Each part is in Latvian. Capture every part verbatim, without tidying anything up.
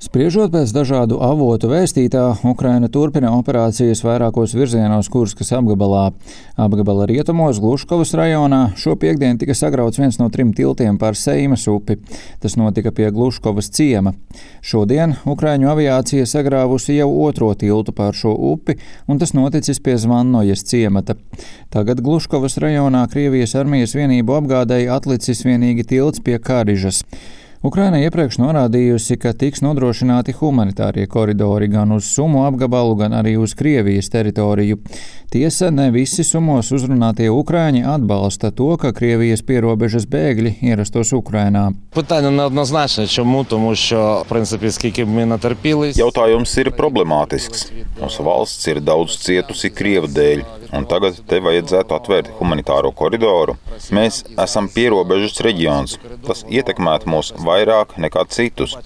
Spriežot pēc dažādu avotu vēstītā, Ukraina turpina operācijas vairākos virzienos Kurskas apgabalā. Apgabala rietumos Gluškovas rajonā šopiektdien tika sagrauts viens no trim tiltiem pār Seimas upi. Tas notika pie Gluškovas ciema. Šodien Ukraiņu aviācija sagrāvusi jau otro tiltu pār šo upi, un tas noticis pie Zvannojas ciemata. Tagad Gluškovas rajonā Krievijas armijas vienību apgādēji atlicis vienīgi tilts pie Karižas. Ukraina iepriekš norādījusi, ka tiks nodrošināti humanitārie koridori gan uz Sumu apgabalu, gan arī uz Krievijas teritoriju. Tiesa, ne visi Sumos uzrunātie ukraiņi atbalsta to, ka Krievijas pierobežas bēgļi ierastos Ukrainā. Питання неоднозначне. Чому? Тому що, в принципі, скільки б ми натерпілись... Jautājums ir problemātisks. Mūsu valsts ir daudz cietusi Krievu dēļ, un tagad te vajadzētu atvērt humanitāro koridoru. Mēs esam pierobežas reģions. Tas ietekmētu mūs vairāk nekā citus.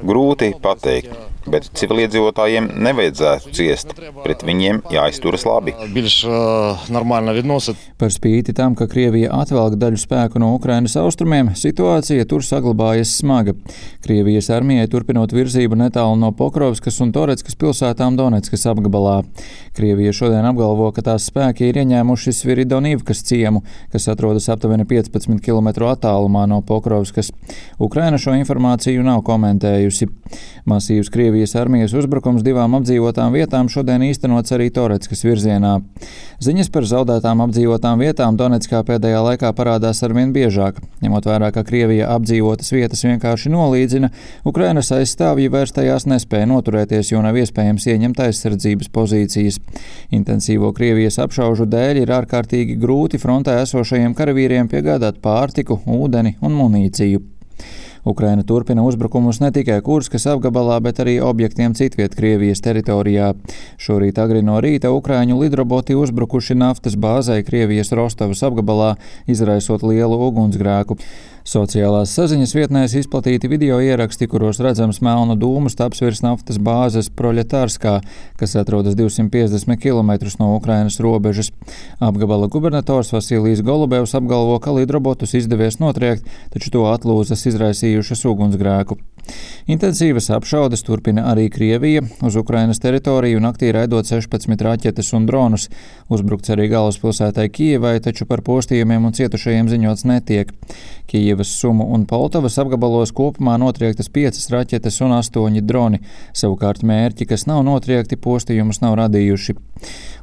Grūti pateikt, bet civiliedzīvotājiem nevajadzētu ciest. Pret viņiem jāizturas labi. Більш нормально відносить. Par spīti tam, ka Krievija atvelk daļu spēku no Ukrainas austrumiem, situācija tur saglabājas smaga. Krievijas armijai turpinot virzību netālu no Pokrovskas un Toreckas pilsētām Doneckas apgabalā. Krievija šodien apgalvo, ka tās spēki ir ieņēmuši Sviridonivkas ciemu, kas atrodas aptuveni piecpadsmit kilometru attālumā no Pokrovskas. Ukraina šo informāciju nav komentējusi. Masīvs Krievijas armijas uzbrukums divām apdzīvotām vietām šodien īstenots arī Toreckas virzienā. Ziņas par zaudētām apdzīvotām vietām Donetskā pēdējā laikā parādās arvien biežāk. Ņemot vērā, ka Krievija apdzīvotas vietas vienkārši nolīdzina, Ukrainas aizstāvji vairs tajās nespēja noturēties, jo nav iespējams ieņemt aizsardzības pozīcijas. Intensīvo Krievijas apšaužu dēļ ir ārkārtīgi grūti frontē esošajiem karavīriem piegādāt pārtiku, ūdeni un munīciju. Ukraina turpina uzbrukumus ne tikai Kurskas apgabalā, bet arī objektiem citviet Krievijas teritorijā. Šorīt agri no rīta ukraiņu lidroboti uzbrukuši naftas bāzei Krievijas Rostovas apgabalā, izraisot lielu ugunsgrēku. Sociālās saziņas vietnēs izplatīti video ieraksti, kuros redzams melnu dūmu stabs virs naftas bāzes Proļetārskā, kas atrodas divsimt piecdesmit kilometrus no Ukrainas robežas. Apgabala gubernators Vasilijs Golubevs apgalvo, ka lidrobotus izdevies notriekt, taču to atlūzas izraisījušas ugunsgrēku. Intensīvas apšaudes turpina arī Krievija, uz Ukrainas teritoriju naktī raidot sešpadsmit raķetes un dronus. Uzbrukts arī galvaspilsētai Kijevai, taču par postījumiem un cietušajiem ziņots netiek. Kijevas, Sumu un Poltavas apgabalos kopumā notriektas piecas raķetes un astoņi droni. Savukārt mērķi, kas nav notriekti, postījumus nav radījuši.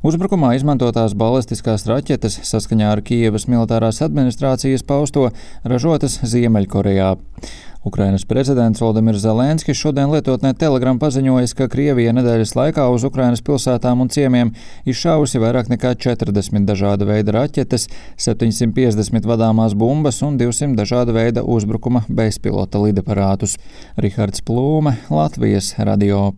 Uzbrukumā izmantotās balistiskās raķetes, saskaņā ar Kijevas militārās administrācijas pausto, ražotas Ziemeļkorejā. Ukrainas prezidents Volodimirs Zelenskis šodien lietotnē Telegram paziņojis, ka Krievija nedēļas laikā uz Ukrainas pilsētām un ciemiem izšāvusi vairāk nekā četrdesmit dažāda veida raķetes, septiņsimt piecdesmit vadāmās bumbas un divsimt dažāda veida uzbrukuma bezpilota lidaparātus. Rihards Plūme, Latvijas radio.